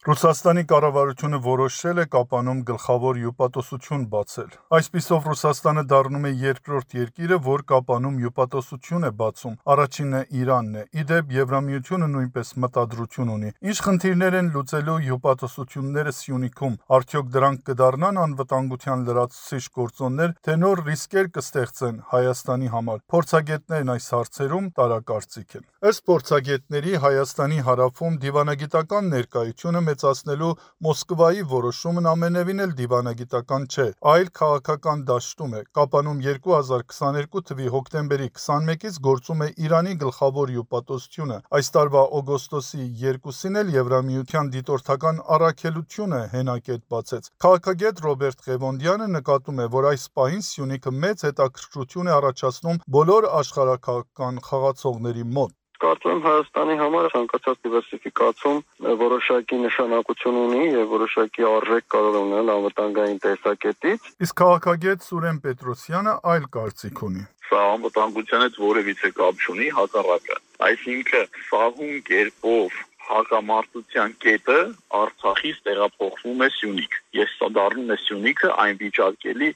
Ռուսաստանի կառավարությունը որոշել է Կապանում գլխավոր հյուպատոսություն բացել։ Այսպիսով Ռուսաստանը դառնում է երկրորդ երկիրը, որ Կապանում հյուպատոսություն է բացում։ Առաջինը Իրանն է։ Ի դեպ, Եվրամիությունը նույնպես մտադրություն ունի։ Ինչ խնդիրներ են լուծելու հյուպատոսությունները Սյունիքում։ Արդյոք դրանք կդառնան անվտանգության լրացուցիչ գործոններ, թե նոր ռիսկեր կստեղծեն Հայաստանի համար։ Փորձագետներն այս հարցերում տարակարծիք են։ Ըստ փորձագետների, Հայաստանի հարավում դիվանագիտական ներկայությունը մեծացնելու Մոսկվայի որոշումն ամենևին էլ դիվանագիտական չէ, այլ քաղաքական դաշտում է։ Կապանում 2022 թվականի հոկտեմբերի 21-ից գործում է Իրանի գլխավոր հյուպատոսությունը։ Այս տարվա օգոստոսի 2-ին էլ Եվրամիության դիտորդական առաքելությունը հենակետ բացեց։ Քաղաքագետ Ռոբերտ Ղևոնդյանը նկատում է, որ այս պահին Սյունիքը մեծ հետաքրքրություն է առաջացնում բոլոր աշխարհաքաղաքական խաղացողների մոտ։ Կարծում եմ Հայաստանի համար ցանկացած դիվերսիֆիկացում որոշակի նշանակություն ունի եւ որոշակի արժեք կարող է ունենալ անվտանգային տեսակետից։ Իսկ քաղաքագետ Սուրեն Պետրոսյանը այլ կարծիք ունի։ Սա անվտանգության հետ որևիցե կապ չունի, հակառակը։ Այսինքն սահուն կերպով հակամարտության կետը Արցախից տեղափոխվում է Սյունիք։ Ես սա դառնում է Սյունիքը այն վիճակելի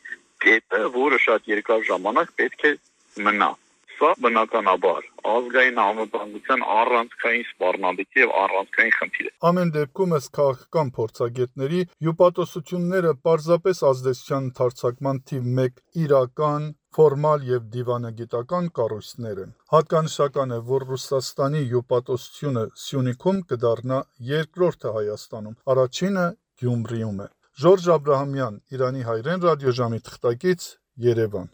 կետը, որը շատ երկար ժամանակ պետք է մնա։ Սա բնականաբար ազգային անվտանգության առանցքային սպառնալիք եւ առանցքային խնդիր է։ Ամեն դեպքում ըստ քաղաքական փորձագետների հյուպատոսությունները պարզապես ազդեցության ընդարձակման թիվ 1 իրական, ֆորմալ եւ դիվանագիտական կառույցներ են։ Հատկանշական է, որ Ռուսաստանի հյուպատոսությունը Սյունիքում կդառնա երկրորդը Հայաստանում, առաջինը Գյումրիում է։ Ժորժ Աբրահամյան, Իրանի հայրեն ռադիոժամի թղթակից, Երևան։